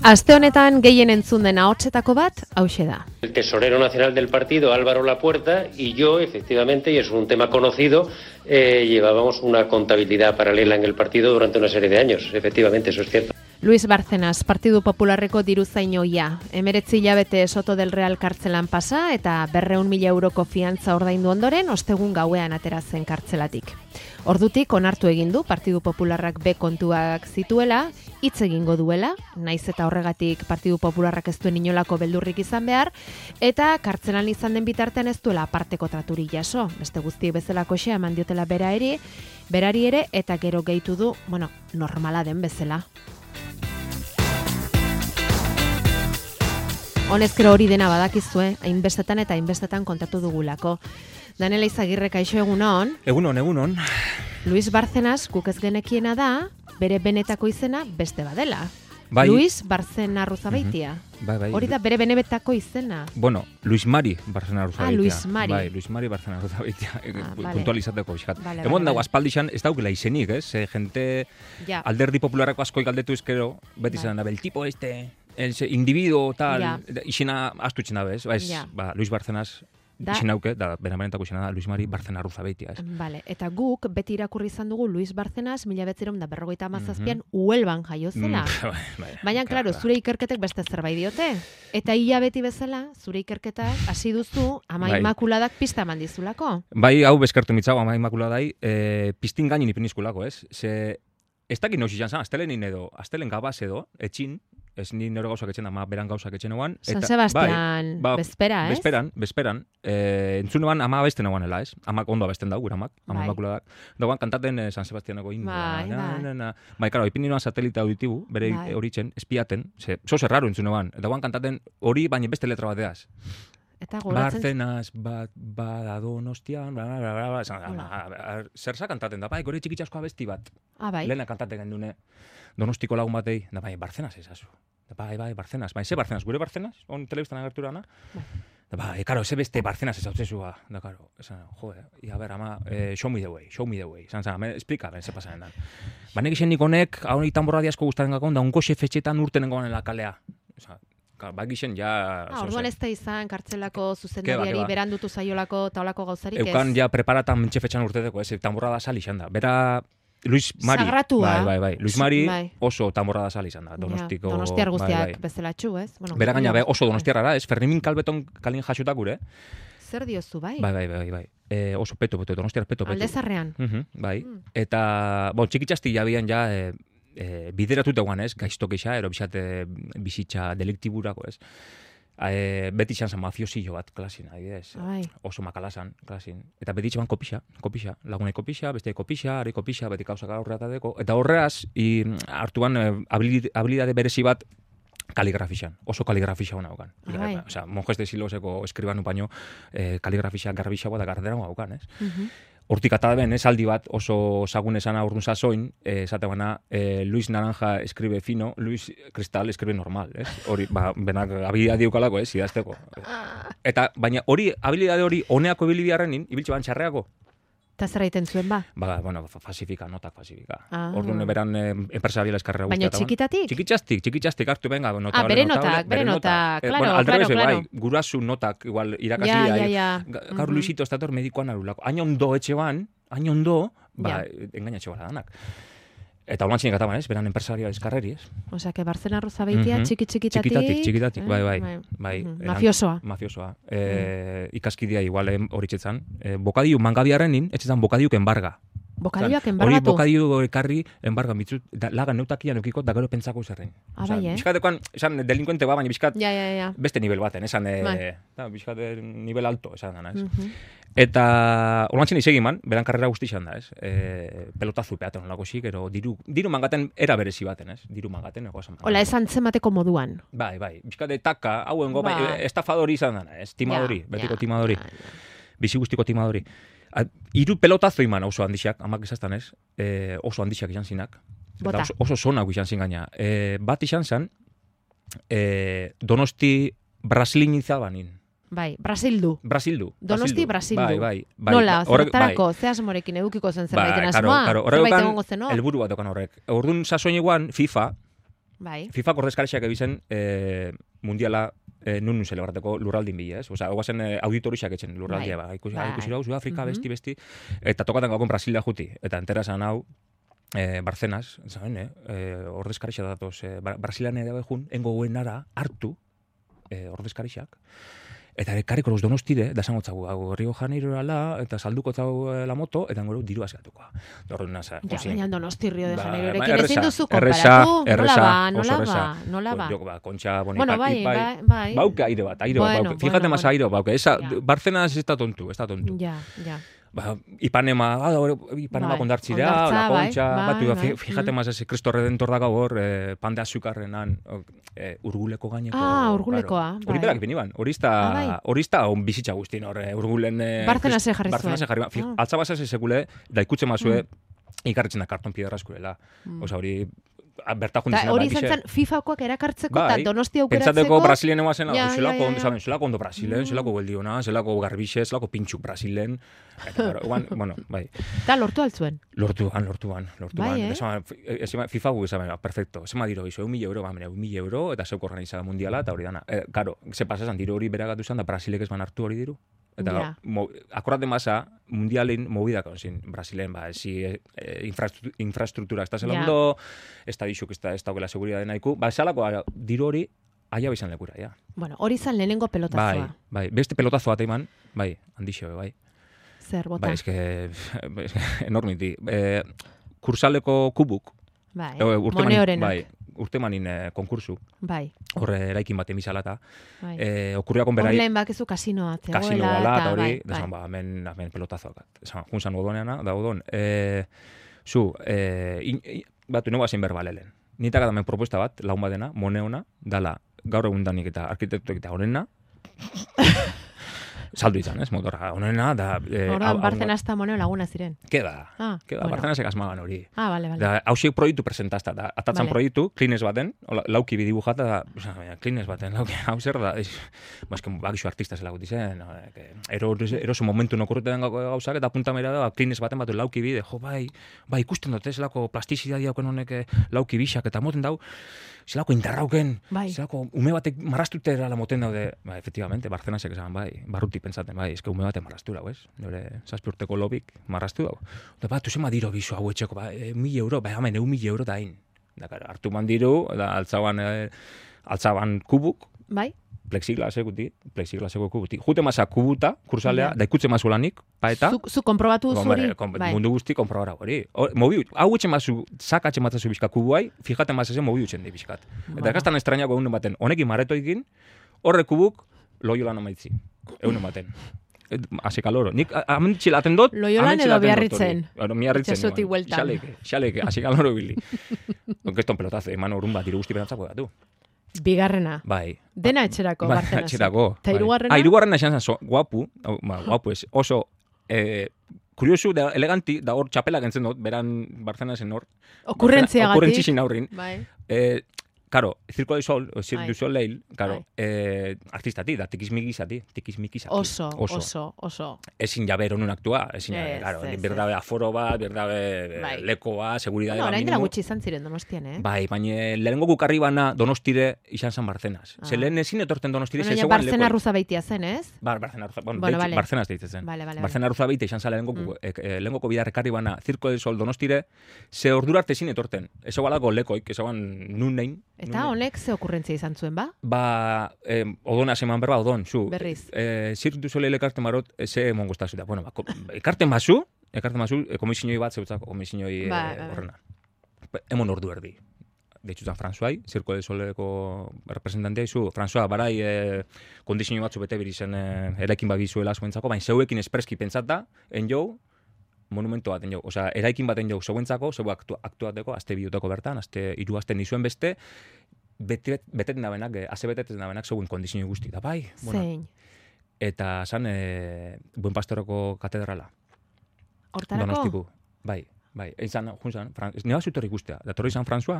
Aste honetan gehien entzun den ahotsetako bat, hauxe da. El tesorero nacional del partido, Álvaro Lapuerta, y yo, efectivamente, y es un tema conocido, llevábamos una contabilidad paralela en el partido durante una serie de años. Efectivamente, eso es cierto. Luis Bárcenas, Partidu Popularreko diruzainoia. 19 hilabete Soto del Real kartzelan pasa eta 200.000 euroko fiantza ordaindu ondoren ostegun gauean atera zen kartzelatik. Ordutik onartu egin du Partidu Popularrak B kontuak zituela, hitz egingo duela, naiz eta horregatik Partidu Popularrak ez duen inolako beldurrik izan behar, eta kartzelan izan den bitartean ez duela aparteko traturik jaso. Beste guztiek bezalako xea eman diotela berari ere, eta gero gehitu du, normala den bezala. Honezkero hori dena badakizue, hainbestetan eta hainbestetan kontatu dugulako. Daniela Izagirre, kaixo egunon. Egunon. Luis Bárcenas, guk ez genekiena da, bere benetako izena beste badela. Bai. Luis Bárcenas Arruzabeitia. Bai. Hori da bere benetako izena. Bueno, Luis Mari Bárcenas Arruzabeitia. Luis Mari. Bai, Luis Mari Bárcenas Arruzabeitia. Vale. Puntualizateko bizkat. Vale, dago aspaldixan ez daukela izenik, gente ja. Alderdi popularrako askoi galdetu ezkero, beti zen el tipo el individuo tal, ja. Izena astutzen dabe, ez? Ja. Luis Bárcenas izenauke, da benetako izena da Luis Mari Bárcenas Arruzabeitia, ez? Vale, eta guk beti irakurri izan dugu Luis Bárcenas 1957 Huelvan jaio zela. Baina, klaro, zure ikerketek beste zerbait diote. Eta ia beti bezala, zure ikerketak hasi duzu Ama Imakuladak pista eman dizulako. Bai, hau bezkertu mitzago Ama Imakuladai, pistin gainin ipinizkulako, ez? Ez dakit nauz izan zen, astelen gabaz edo, etxin, ez ni nero gauzak etxen, ama beran gauzak etxen eguan. San Sebastian, bezpera, ez? Bezperan. Entzun eban ama abesten eguanela, ez? Amak ondo abesten dago, gure amak, Ama Imakuladak. Dagoan kantaten San Sebastianeko himno. Bai, karo, ipin nioan satelite auditibu, bere horitzen, espiaten, zoze raro entzun eban. Dagoan kantaten hori, baina beste letra bateaz. Bárcenas, bada Donostian, zerza kantaten da, bai, gore txikitxasko abesti bat. Bai. Lehena kantaten gendune Donostiko lagun batei, da bai, Bárcenas ezazu. Bai, Bárcenas. Bai, ze Bárcenas, gure Bárcenas, on telebistan agerturana. Bai, karo, ze beste Bárcenas ezauzezua. Da, karo, esan, a ver, ama, show me the way. Zan, explika, ze pasanen dan. Banek izen nik honek, hau nik tamborra diasko gustaren gakon, da unko xefetxetan urtenen goan la kalea. Bagixen ja... Orduan ez da izan kartzelako zuzendariari berandutu zaiolako taolako gauzarik ez? Eukan ja preparatan mentxefetxan urteteko, ez, tamborra da sal izan da. Bera, Luis Mari... Sagratua. Bai. Luis Mari oso tamborra da sal izan da. Donostiar guztiak bezelatxu, ez? Bera gaina, oso donostiarra da, ez? Fernimin Kalbeton kalin jasotak gure. Zer diozu, bai? Bai. Oso peto, donostiar peto. Aldezarrean. Bai. Eta, txikitxasti jabian ja... bideratuta guan, ez, gaiztok eixa, ero bizitza deliktiburako, ez. Beti izan zen mafiosillo bat klasin, oso makalasan klasin. Eta beti izan kopixa, lagunei kopixa, beste kopixa, ari kopixa, beti kauzak aurreatadeko. Eta horreaz, hartuan habilidade berezi bat kaligrafixan, oso kaligrafixan hona haukan. Osea, monjes de siloseko eskribanu baino kaligrafixan garbixagoa da gardera haukan, ez. Hortik ataben, aldi bat oso zagun esan aurrun zazoin, esate bana, Luis Naranja escribe fino, Luis Cristal escribe normal, ez? Hori, benak habilidade ukalako, ez, idazteko. Eta, baina hori, habilidade hori, honeako bilibiarrenin, ibiltxe ban txarreako. Eta zer egiten zuen ba? Fasifika, notak fasifika. Orduan beran empresariala eskarrera guztiata. Baina txikitatik? Txikitatik, hartu benga. Bere notak, claro. Aldrebez, bai, gurasu notak, igual, irakasli. Gaur Luisito estator medikoan arulako. Hain ondo etxe ban, engainatxe bala danak. Eta holan txinek ataban, ez? Beran empresariala eskarreri, ez? Osea, que Bárcenas Arruzabeitia txikitatik, bai. Mafiosoa. Ikaskidea igual horitzetan. Bokadiu mangabiarrenin, etxetan bokadiuk embarga. Bokadioak embargatu? Hori bokadiu ekarri embarga mitzut, lagan neutakian eukiko, da gero pentsako zerrein. Bai, Bizkatekoan, esan delinkuente baina bizkat beste nivel baten, esan bizkat nivel alto, esan dana, ez? Eta holantzen izegin man, beran karrera guzti izan da, ez? Pelotazu peaten olako xik, ero diru mangaten era berezi baten, ez? Diru mangaten, esan. Hola, esan zenbateko moduan. Bai. Bizkate taka, hauen estafadori izan dana, ez? Timadori, betiko timadori. Bizi guztiko timadori. Hiru pelotazo iman oso handixak, amak izaztan ez, oso handixak izan zinak. Oso zonak izan zin gaina. Bat izan zen, Donosti Brasilin izabanin. Bai, Brasildu. Donosti Brasildu. Bai. Nola, zertarako, ze asmorekin edukiko zen zerbaiten asmoa? Horrek egon, helburu bat okan horrek. Orduan sasoin eguan, FIFA, Bai. FIFA ordezkariak ebizen mundiala nun zelebrateko lurraldin bila, ez? Osa, guazen auditorixak etxen lurraldia, ikusi hau, Afrika, besti, eta tokaten gauko Brasilia juti, eta entera zan hau, Barcenas, zaben, ordezkarixak datoz, Brasilian edo jun, engo guenara hartu ordezkarixak, eta karriko los Donostire, da zango txagu, Rio Janeiro ala, eta salduko txagu la moto, eta ngoro diru azgatuko. Ja, baina Donosti Rio de Janeiro erekin ezin duzu konparatu. Nola ba? Kontxa Bueno, bai. Bauke aire bat. Fíjate más aire bauke. Barcelona está tontu. Ja. Ipanema kondartzira, la Kontxa, fíjate más ese Cristo Redentor dago hor, pan de azukarrenan, urguleko gaineko. Urgulekoa. Hori berak biniban. Horista on bizitza guztin hor, urgulen... Barcelona se jarri zuen. Altzabasa sekule, da ikutxe mazue, ikarritzen da karton piedra eskurela. Osa hori... Hori izan zen FIFA-koak erakartzeko eta Donosti aukeratzeko. Pentsateko Brasilen eguazen, zelako ondo Brasilen, zelako geldiona, zelako garbixe, zelako pintxuk Brasilen. Bueno, bai. Eta lortu altzuen? Lortuan. FIFA gu izan, perfecto. Zema diro izo, €1.000, 1.000 euro, eta zeuk organizada mundiala, eta hori dana. Karo, ze pasazan, diro hori beragatu zen, da Brasilek ez ban hartu hori diru. Eta akorate masa, mundialen movidak onzin, Brasilen, infrastruktura, ez da zelando, ez da dixuk, ez da seguridade nahiko, esalako diru hori, aia bizan lekura, ja. Bueno, hori zan lehenengo pelotazoa. Bai, beste pelotazoa eta iman, bai, handixo, bai. Zer, bota? Bai, eske, enormiti. Kursaleko kubuk. Bai, Moneorenak. Bai, urtemanin konkursu. Bai. Horre eraikin bat emizalata. Okurriakon berai... Horren bakizu kasinoa. Kasinoa ala, eta hori, desan, hemen pelotazoak. Junzan odoneana, da odon. Batu nego hasin berbalelen. Nitak adamen propuesta bat, laun badena, Moneona, dala, gaur egun danik eta arkitektuek eta honena, saldu izan, ez, motorra. Honena, da... Horren, Barcena hasta Moneo laguna ziren. Keda, Barcena sekasmagan hori. Vale. Da, hausiek proiektu presentazta, da, atatzan proiektu, klines baten, lauki bidibujata, da, klines baten, lauki, hau zer da, bazken, bakixo artista zela guti zen, eroso momentu nokorretan gauzak, eta punta mera da, klines baten batu lauki bide, bai, ikusten dut, zelako plastizidadi hauken honek lauki bisak, eta moten dau, zelako indarrauken, zelako ume batek marrastutera la moten daude, efectivamente, Barcenasek esan, barruti pentsaten, eske ume batek marrastu dago, ez? Nore, 7 urteko lobik marrastu dago. Da, tu zema diro bizu hau etxeko, €1.000, hemen €1.000 da hain. Da, hartu man diru, da, altzaban kubuk, plexiglaseko kubuti. Jute masa kubuta, kursalea, da ikutze mazu lanik, paeta. Zu konprobatu zuri? Mundu guzti konprobara hori. Hau etxe mazu, sakatxe matzazu bizka kubuai, fijate mazazen mobi utxen di bizkat. Eta ekastan estrañako egunen baten, honekin maretoikin, horre kubuk, loiolan amaitzi. Egunen baten. Haze kaloro. Nik amentxilaten dut. Loiolan edo biarritzen. Miarritzen. Itxasotik hueltan. Xaleke, haze kaloro bili. Onkeston pelotazo, eman horun bat, diru guzti berantzako datu. Bigarrena. Bai. Dena etxerako, Barcenas. Dena etxerako. Eta irugarrena? Irugarrena esan zan, guapu ez, oso kuriosu, eleganti, da hor txapela gentzen dut, beran Barcenasen hor. Okurrentziagatik. Okurrentzizin aurrin. Bai. Karo, Circo du Sol, Cirque du Soleil, karo, artistati, da, tikizmikizati. Oso. Ezin jaber honun aktua, ezin jaber, karo, berdabe aforo bat, berdabe lekoa, seguridade bat orain dela gutxi izan ziren Donostian, Bai, baina lehenengo gukarri bana Donostire izan zan Barcenas. Ze lehen ezin etorten Donostire, ze zegoen Barcena Ruza beitia zen, ez? Barcena Ruza, Barcenas deitzen zen. Barcena Ruza beitia izan zan lehenengoko bidarrekarri bana Circo del Sol Donostire, ze ordura arte ezin etorten. Ez egualako lekoik, ez eguan nun nein. Eta honek ze okurrentzia izan zuen, ba? Odona seman berba, odon, zu. Berriz. Cirque du Soleil ekarten marot, ze mongo zuta. Bueno, ekarten bazu, komisinoi bat zeutzako, komisinoi horrena. Emon ordu erdi. Deitzutan François, Cirque du Soleileko representantea izu. François, barai, kondizio batzu bete birizen eraikin bagizuela zuentzako, baina zeuekin espreski pentsata, enjou, monumento baten jau. Osea, eraikin baten jau zeuentzako, zeu aktuateko, azte bihutako bertan, hiru aste nizuen beste, beteten dabenak, beteten dabenak zeuen kondizio guzti. Da, bai? Zein. Eta zan, Buen Pastoroko katedrala. Hortarako? Donostiku. Bai. Izan, junzan, neba zutorri guztia. Da torri izan François,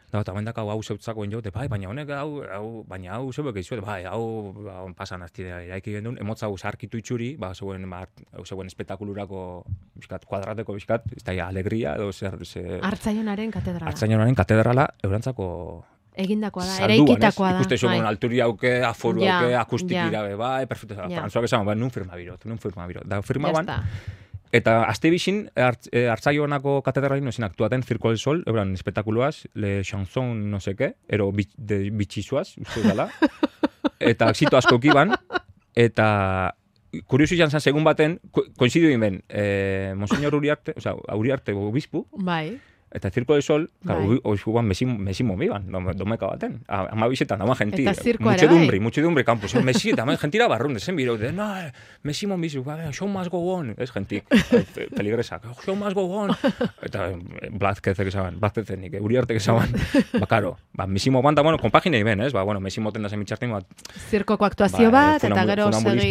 Da, eta bendak hau zeutzakoen jote, bai, baina honek hau zebek izuet, bai, hau pasan aztidea iraiki gendun, emotza hau zarkitu itxuri, zeuen espetakulurako biskat, kuadrateko biskat, ez da, alegria, edo Artzaionaren katedrala. Artzaionaren katedrala, eurantzako egindakoa da, salduan, eraikitakoa da. Ikuste zuen alturi hauke, aforu hauke, akustikira, bai, perfecto, frantzuak esan, nun firma birot. Da, firma ban, eta azte bixin, Artzaionako katedralin nozien aktuaten Circo del Sol, euran espetakuloaz, Le Chanson no seke, ero bitxizuaz, uste dala, eta exito asko kiban, eta kuriosu izan zen, segun baten, koinzidio ben, Monseñor Uriarte, Uriarte obispu, bai. Eta Circo del Sol, oizkuban mesimo miban, domeka baten. Ama bizetan, ama genti. Eta zirkoa ere bai. Muchedumbre campus. Mesi, eta gentira barrunde, zen biro. No, mesimo bizu, show must go on. Ez gentik, peligresak. Show must go on. Eta Blázquezek esaban, Blázquezek, Uriartek esaban. Karo, mesimo banda, konpaginei ben, ez? Mesimo tenda zen mitxartin bat. Zirkoko aktuazio bat, eta gero segi.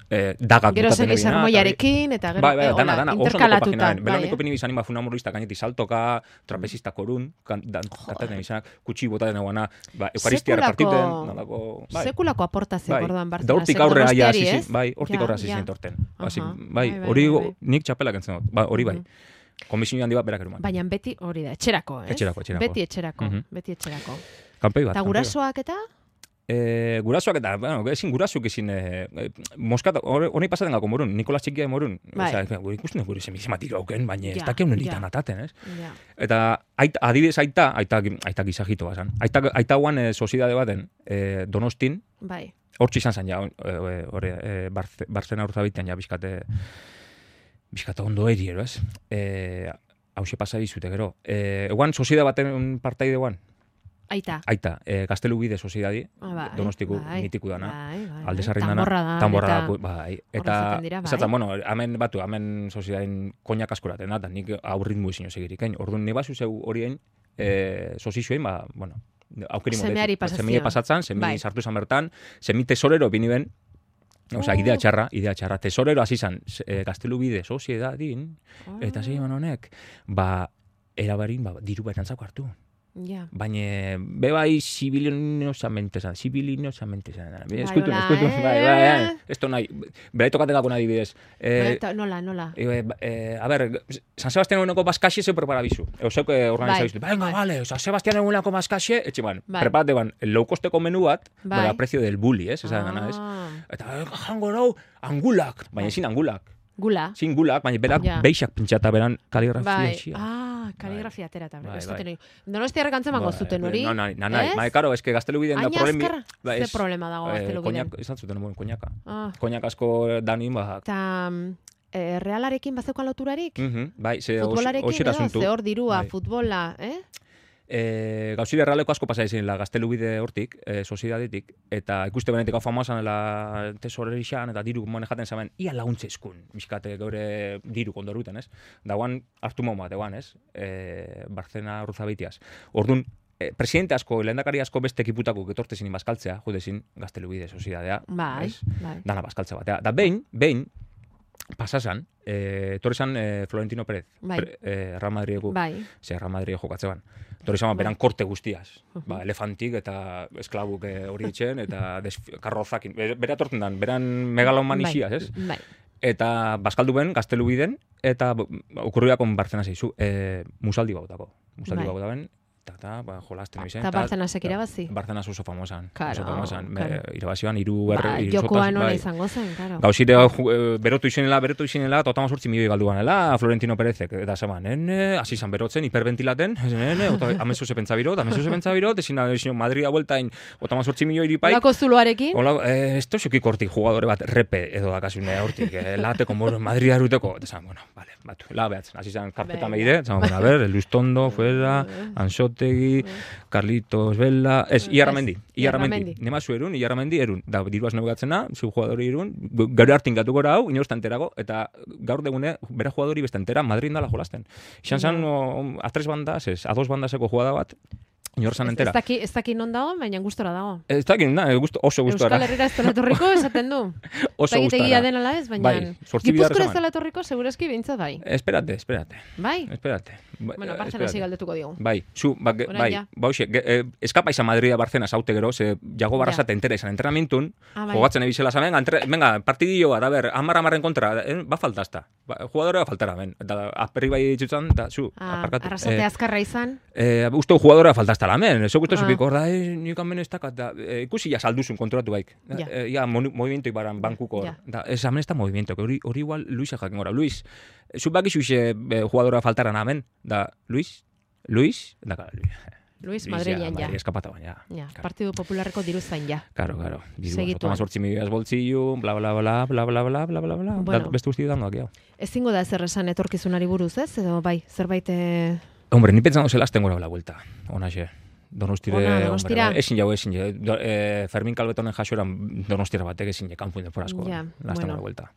Gero segi sermoiarekin, eta gero interkalatuta. Beloniko pini bizan ima funamurista gainetik saltoka, trapezista korun, kantaten izanak, kutsi botaten eguana, eukaristia repartiten, nalako... Sekulako aportazio orduan Barcelona. Da hortik aurre aia zizin, hortik aurre zizin torten. Hori nik txapelak entzen dut, hori bai. Komisio handi bat berak eruman. Baina beti hori da, etxerako, ez? Beti etxerako. Kanpei bat. Eta gurasoak eta? Gurasoak eta, ezin gurasuk ezin Moskat, honi pasaten gako morun, Nikolas Txikia morun, gure ikusten gure semizematiru hauken, baina ez dakeu nelitan ataten, ez? Eta adibidez aita gizajito bazan. Aita guan soziedade baten Donostin, hortzi izan zen ja, Barzena urzabitean ja bizkate ondo eriero, ez? Hauxe pasa dizute, gero. Eguan soziedade baten partaide guan, Aita, Gaztelu Bide Soziedadi, Donostiku mitiku dana, Aldesarrin dana, Tamborra da, bai. Eta, zaten, hemen soziedadin koinak askoraten da, nik aurritmu izin segirik. Orduan, nebazu zeu horien sozizioen, aukeri modez. Semie pasatzen, semie sartu izan bertan, semie tesorero biniben, idea txarra, tesorero hasi izan, Gaztelu Bide Soziedadin, eta zein honek, erabarin, diru berantzako hartu. Baina, bebai, zibilinosamente zan. Eskutu, bai, esto nahi, berai tokaten gako nahi bidez. Nola? A ber, San Sebastián eguneko baskaxe zeu preparabizu. Eusek organizabiztu. Venga, vale, San Sebastián eguneko baskaxe, etxe ban, preparate ban, low costeko menu bat, a precio del bully, ez? Eta, jango nau, angulak, baina ezin angulak. Gula? Sin gulak, baina berak beixak pintxata beran kaligrafia xia. Kaligrafia terata. Donostiarrek antzeman gozuten hori? Nahi, karo, eske Gaztelu Biden da problemi... Ze problema dago Gaztelu Biden? Izan zuten nuen koñaka. Koñak asko danin, Eta Realarekin bazeukan loturarik? Bai, futbolarekin edo, ze hor dirua, futbola, Gauzide Realeko asko pasa izin la Gaztelu Bide hortik, sozidadetik, eta ikuste benetik hau famosan la tesorerixan, eta diru manejaten zaben, ia laguntze eskun, bizkate gaure diru kondoruten, ez? Dagoan hartu momat, egoan, ez? Barzena Urzabeitiaz. Orduan, presidente asko, lehendakari asko beste ekiputako getortezin bazkaltzea, jodezin Gaztelu Bide sozidadea, ez? Dana bazkaltza batea. Da behin, pasasan, torrezan Florentino Pérez, Real Madrideko, Real Madrid jokatzean. Torrezan beran korte guztiaz. Elefantik eta esklabuk hori itxen, eta karrozakin. Bera torten dan, beran megaloman ixiaz, ez? Eta bazkaldu ben, Gaztelu Biden, eta okurriakon Barzena zeizu, musaldi bautako. Musaldi baut ben, eta jolazten ebizen. Eta Barzena sekirabazi? Barzena oso famosan. Karo. Irabazioan, iru jokoan hona izango zen, karo. Gauzire, berotu izenela, eta 8 milioi galduanela, Florentino Perezek, eta zeman, hasi izan berotzen, hiperventilaten, amezu ze pentsabirot, ezin Madrida bueltain, 8 milioi iripai. Olako zuloarekin? Ez toxoki kortik jugadore bat, repe edo dakasune hortik, lateko, Madrida eruteko, eta zeman, batu, behatzen, hasi izan karpetan behide, zeman, Lustondo, fuera, Ansotegi, Carlitos Vela, Iarramendi. Nemazu Iarramendi erun. Da, diruaz nebugatzena, zu jugadori erun, gaur hartin gatu gora hau, inoz tanterago, eta gaur degune, bera jugadori bestantera, Madrid indala jolasten. Ixan zan, a 3 bandas, a 2 bandaseko jugada bat, inorsan entera. Ez daki non dago, baina gustora dago. Ez daki, oso gustora. Euskal Herrera ez toletorriko esaten du. oso gustarra. Egia den ala ez, baina Bai, 8 bidar Gipuzkoa ez esan. dela etorriko, segurazki behintzat bai. Espérate. Bai? Espérate. Bueno, Barcelona galdetuko digu. Bai, Orain ja. bauxe, eskapa izan Madrida Barcena zaute gero, ze jago barrazate entera izan entrenamintun, bai. jogatzen ebizela zamen, venga, partidillo bat, a ber, 10 kontra, ba faltazta. Jugadora faltara, ben. Da, azperri bai ditzutzen, da, aparkatu. Arrasate azkarra izan. Uste jugadora faltazta lamen, eso gustu zupiko, da, nik hamen ez dakat, da, ikusi ja salduzun kontratu baik. Ja, movimiento ibaran bankuko, da, ez hamen ez da movimiento, hori igual Luisa jakin gora. Luis, zubak isu jugadora faltara namen, da, Luis, da, Luis Madrilen ja. Eskapata baina. Ja, Partidu Popularreko diru zain ja. Claro. Segituan. Tomas 8 milioiaz boltsillu, bla. Bueno, Beste guzti dangoak, ja. Ezingo da ezer esan etorkizunari buruz, ez? Edo bai, zerbait... Hombre, ni pentsando zela azten gora la vuelta. Onaxe. Donostire, hombre, ezin jau. Fermin Calvetonen jasoran Donostira batek ezin je kanpuin deporazko. Ja, la vuelta.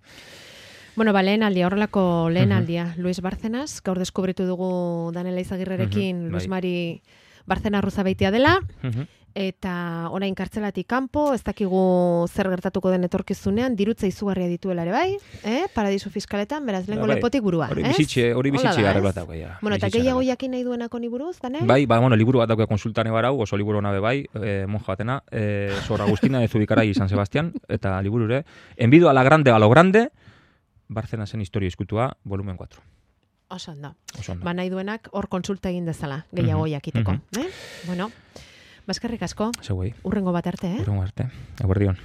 Bueno, lehen aldia, horrelako lehen aldia. Luis Bárcenas, gaur deskubritu dugu Daniela Izagirrerekin Luis Mari Bárcena Ruzabeitia dela, eta orain kartzelatik kanpo, ez dakigu zer gertatuko den etorkizunean, dirutza izugarria dituela ere bai, paradisu fiskaletan, beraz, lehenko lepotik burua. Hori bizitxe arreglatako, ja. Bueno, eta gehiago jakin nahi duenako ni buruz, Daniel? Bai, bueno, liburu bat dauke konsultane barau, oso liburu nabe bai, monja batena, Sor Agustina de Zubikarai San Sebastián, eta liburure, Envido a la grande, a lo grande, Bárcenasen historia eskutua, volumen 4. Oso ondo. Ba nahi duenak hor konsulta egin dezala, gehiago jakiteko. Bueno, baskerrik asko. Zeuei. Urrengo bat arte, Urrengo arte. Eguerdion.